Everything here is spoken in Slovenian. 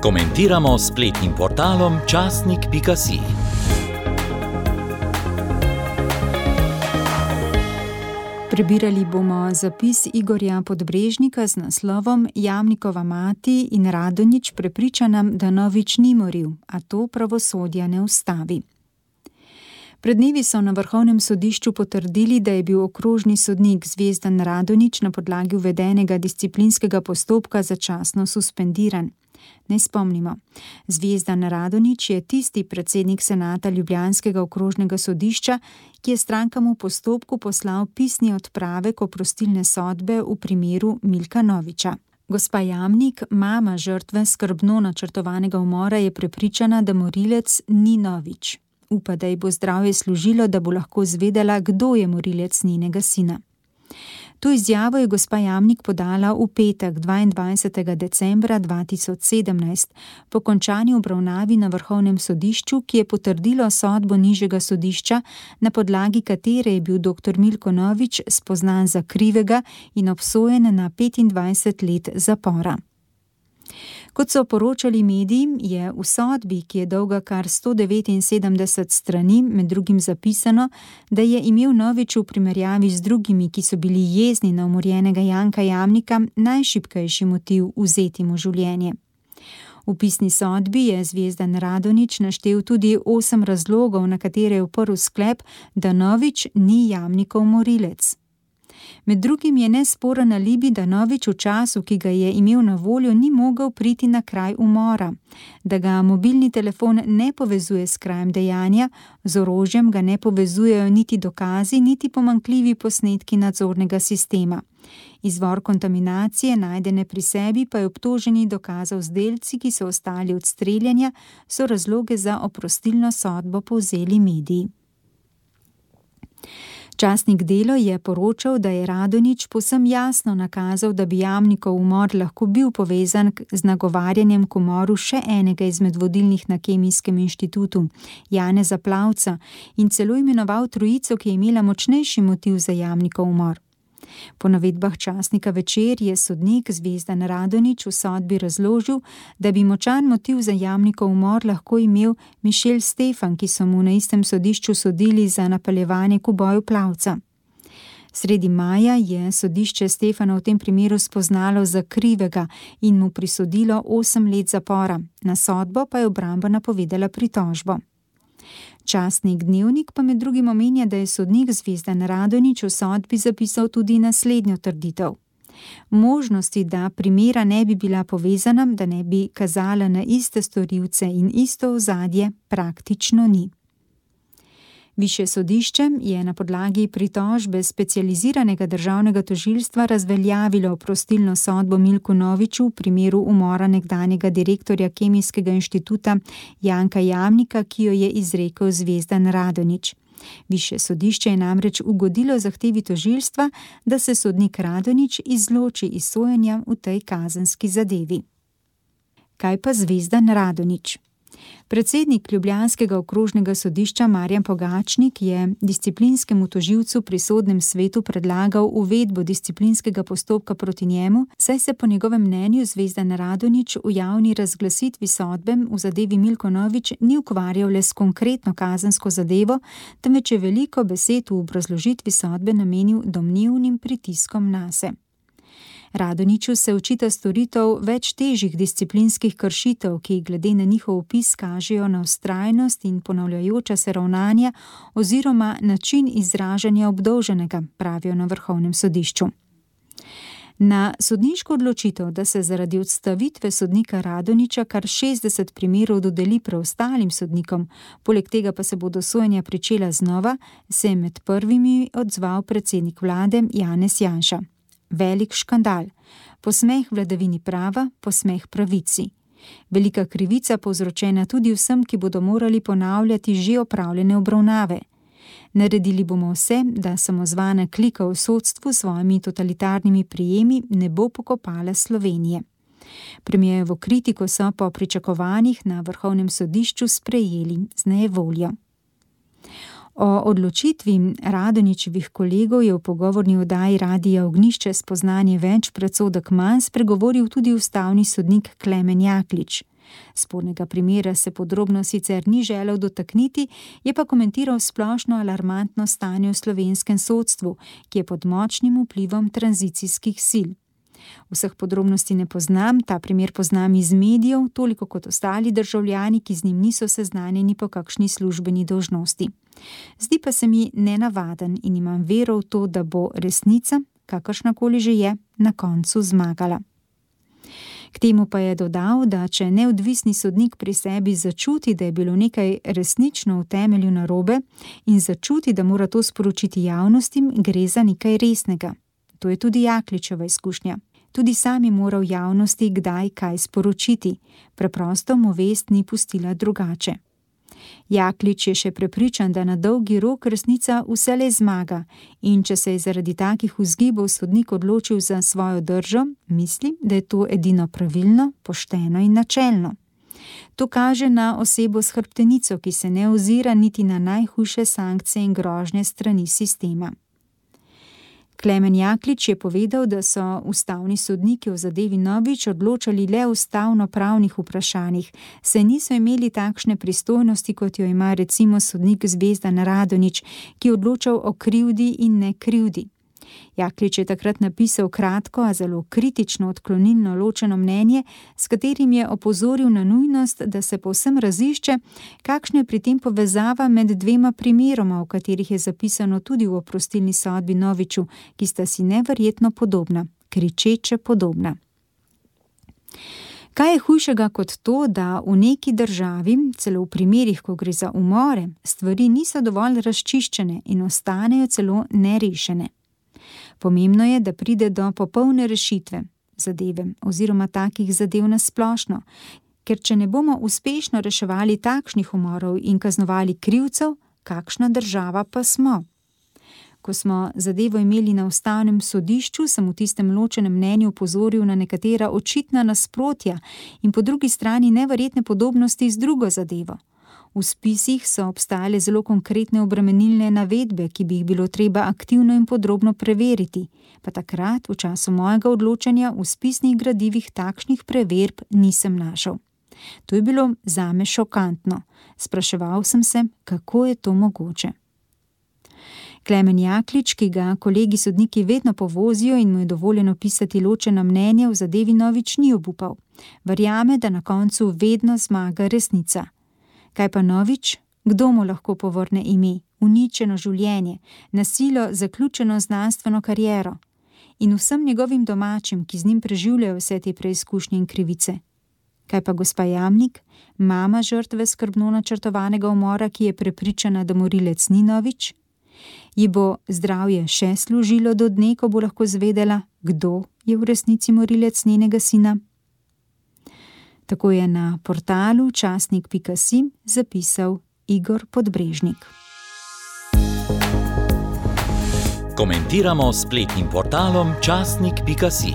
Komentiramo s spletnim portalom časnik.si. Prebirali bomo zapis Igorja Podbrežnika z naslovom Jamnikova mati in Radonjić prepriča nam, da Novič ni moril, a to pravosodja ne ustavi. Pred dnevi so na Vrhovnem sodišču potrdili, da je bil okrožni sodnik Zvezdan Radonjić na podlagi uvedenega disciplinskega postopka začasno suspendiran. Naj spomnimo, Zvezdan Radonjić je tisti predsednik senata ljubljanskega okrožnega sodišča, ki je strankam v postopku poslal pisni odpravek oprostilne sodbe v primeru Milka Noviča. Gospa Jamnik, mama žrtve skrbno načrtovanega umora, je prepričana, da morilec ni Novič. Upa, da ji bo zdravje služilo, da bo lahko zvedela, kdo je morilec njenega sina. To izjavo je gospa Jamnik podala v petek 22. decembra 2017 po končani obravnavi na Vrhovnem sodišču, ki je potrdilo sodbo nižjega sodišča, na podlagi katere je bil dr. Milko Novič spoznan za krivega in obsojen na 25 let zapora. Kot so poročali mediji, je v sodbi, ki je dolga kar 179 strani, med drugim zapisano, da je imel Novič v primerjavi z drugimi, ki so bili jezni na umorjenega Janka Jamnika, najšibkejši motiv vzeti mu življenje. V pisni sodbi je Zvezdan Radonjić naštel tudi 8 razlogov, na katere je oprl sklep, da Novič ni Jamnikov morilec. Med drugim je nesporen alibi, da Novič v času, ki ga je imel na voljo, ni mogel priti na kraj umora, da ga mobilni telefon ne povezuje s krajem dejanja, z orožjem ga ne povezujejo niti dokazi, niti pomanjkljivi posnetki nadzornega sistema. Izvor kontaminacije, najdene pri sebi, pa je obtoženi dokazal z delci, ki so ostali od streljanja, so razloge za oprostilno sodbo povzeli mediji. Časnik Delo je poročal, da je Radonjić povsem jasno nakazal, da bi Jamnikov umor lahko bil povezan z nagovarjanjem k umoru še enega izmed vodilnih na Kemijskem inštitutu, Janeza Plavca, in celo imenoval trojico, ki je imela močnejši motiv za Jamnikov umor. Po navedbah časnika Večer je sodnik Zvezdan Radonjić v sodbi razložil, da bi močan motiv za Jamnikov umor lahko imel Mišel Stefan, ki so mu na istem sodišču sodili za napeljevanje k uboju Plavca. Sredi maja je sodišče Stefana v tem primeru spoznalo za krivega in mu prisodilo 8 let zapora. Na sodbo pa je obramba napovedala pritožbo. Časnik Dnevnik pa med drugim omenja, da je sodnik Zvezdan Radonjić v sodbi zapisal tudi naslednjo trditev. Možnosti, da primera ne bi bila povezana, da ne bi kazala na iste storilce in isto ozadje, praktično ni. Višje sodišče je na podlagi pritožbe specializiranega državnega tožilstva razveljavilo oprostilno sodbo Milku Noviču v primeru umora nekdanjega direktorja Kemijskega inštituta Janka Jamnika, ki jo je izrekel Zvezdan Radonjić. Višje sodišče je namreč ugodilo zahtevi tožilstva, da se sodnik Radonjić izloči iz sojenja v tej kazenski zadevi. Kaj pa Zvezdan Radonjić? Predsednik ljubljanskega okrožnega sodišča Marjan Pogačnik je disciplinskemu tožilcu pri sodnem svetu predlagal uvedbo disciplinskega postopka proti njemu, saj se po njegovem mnenju Zvezdan Radonjić v javni razglasitvi sodbe v zadevi Milko Novič ni ukvarjal le s konkretno kazensko zadevo, temveč je veliko besed v obrazložitvi sodbe namenil domnevnim pritiskom nase. Radonjiću se očita storitev več težjih disciplinskih kršitev, ki glede na njihov opis kažejo na vztrajnost in ponavljajoča se ravnanja oziroma način izražanja obdolženega, pravijo na Vrhovnem sodišču. Na sodniško odločitev, da se zaradi odstavitve sodnika Radonjića kar 60 primerov dodeli preostalim sodnikom, poleg tega pa se bodo sojenja pričela znova, se je med prvimi odzval predsednik vlade Janez Janša. Velik škandal, posmeh vladavini prava, posmeh pravici. Velika krivica povzročena tudi vsem, ki bodo morali ponavljati že opravljene obravnave. Naredili bomo vse, da samozvana klika v sodstvu s svojimi totalitarnimi prijemi ne bo pokopala Slovenije. Premierjevo kritiko so po pričakovanjih na Vrhovnem sodišču sprejeli z nejevoljo. O odločitvi Radonjićevih kolegov je v pogovorni oddaji Radia Ognjišče spoznanje več predsodek manj spregovoril tudi ustavni sodnik Klemen Jaklič. Spornega primera se podrobno sicer ni želel dotakniti, je pa komentiral splošno alarmantno stanje v slovenskem sodstvu, ki je pod močnim vplivom tranzicijskih sil. Vseh podrobnosti ne poznam, ta primer poznam iz medijev, toliko kot ostali državljani, ki z njim niso seznanjeni po kakšni službeni dolžnosti. Zdi pa se mi nenavaden in imam vero v to, da bo resnica, kakršnakoli že je, na koncu zmagala. K temu pa je dodal, da če neodvisni sodnik pri sebi začuti, da je bilo nekaj resnično v temelju narobe in začuti, da mora to sporočiti javnostim, gre za nekaj resnega. To je tudi Jakličeva izkušnja. Tudi sam je moral javnosti kdaj kaj sporočiti, preprosto mu vest ni pustila drugače. Jaklič je še prepričan, da na dolgi rok resnica vselej zmaga in če se je zaradi takih vzgibov sodnik odločil za svojo držo, mislim, da je to edino pravilno, pošteno in načelno. To kaže na osebo s hrbtenico, ki se ne ozira niti na najhujše sankcije in grožnje strani sistema. Klemen Jaklič je povedal, da so ustavni sodniki v zadevi Novič odločali le o ustavno-pravnih vprašanjih, saj niso imeli takšne pristojnosti, kot jo ima recimo sodnik Zvezdan Radonjić, ki je odločal o krivdi in nekrivdi. Jaklič je takrat napisal kratko, a zelo kritično odklonilno ločeno mnenje, s katerim je opozoril na nujnost, da se povsem razišče, kakšna je pri tem povezava med dvema primeroma, v katerih je zapisano tudi v oprostilni sodbi Noviču, ki sta si neverjetno podobna, kričeče podobna. Kaj je hujšega kot to, da v neki državi, celo v primerih, ko gre za umore, stvari niso dovolj razčiščene in ostanejo celo nerešene? Pomembno je, da pride do popolne rešitve zadeve oziroma takih zadev na splošno, ker če ne bomo uspešno reševali takšnih umorov in kaznovali krivcev, kakšna država pa smo? Ko smo zadevo imeli na ustavnem sodišču, sem v tistem ločenem mnenju opozoril na nekatera očitna nasprotja in po drugi strani neverjetne podobnosti z drugo zadevo. V spisih so obstajale zelo konkretne obremenilne navedbe, ki bi jih bilo treba aktivno in podrobno preveriti, pa takrat, v času mojega odločanja, v spisnih gradivih takšnih preverb nisem našel. To je bilo zame šokantno. Spraševal sem se, kako je to mogoče. Klemen Jaklič, ki ga kolegi sodniki vedno povozijo in mu je dovoljeno pisati ločena mnenja, v zadevi Novič ni obupal. Verjame, da na koncu vedno zmaga resnica. Kaj pa Novič? Kdo mu lahko povrne ime, uničeno življenje, nasilo zaključeno znanstveno kariero in vsem njegovim domačim, ki z njim preživljajo vse te preizkušnje in krivice? Kaj pa gospa Jamnik, mama žrtve skrbno načrtovanega umora, ki je prepričana, da morilec ni Novič? Ji bo zdravje še služilo do dne, ko bo lahko zvedela, kdo je v resnici morilec njenega sina? Tako je na portalu časnik.si zapisal Igor Podbrežnik. Komentiramo s spletnim portalom časnik.si.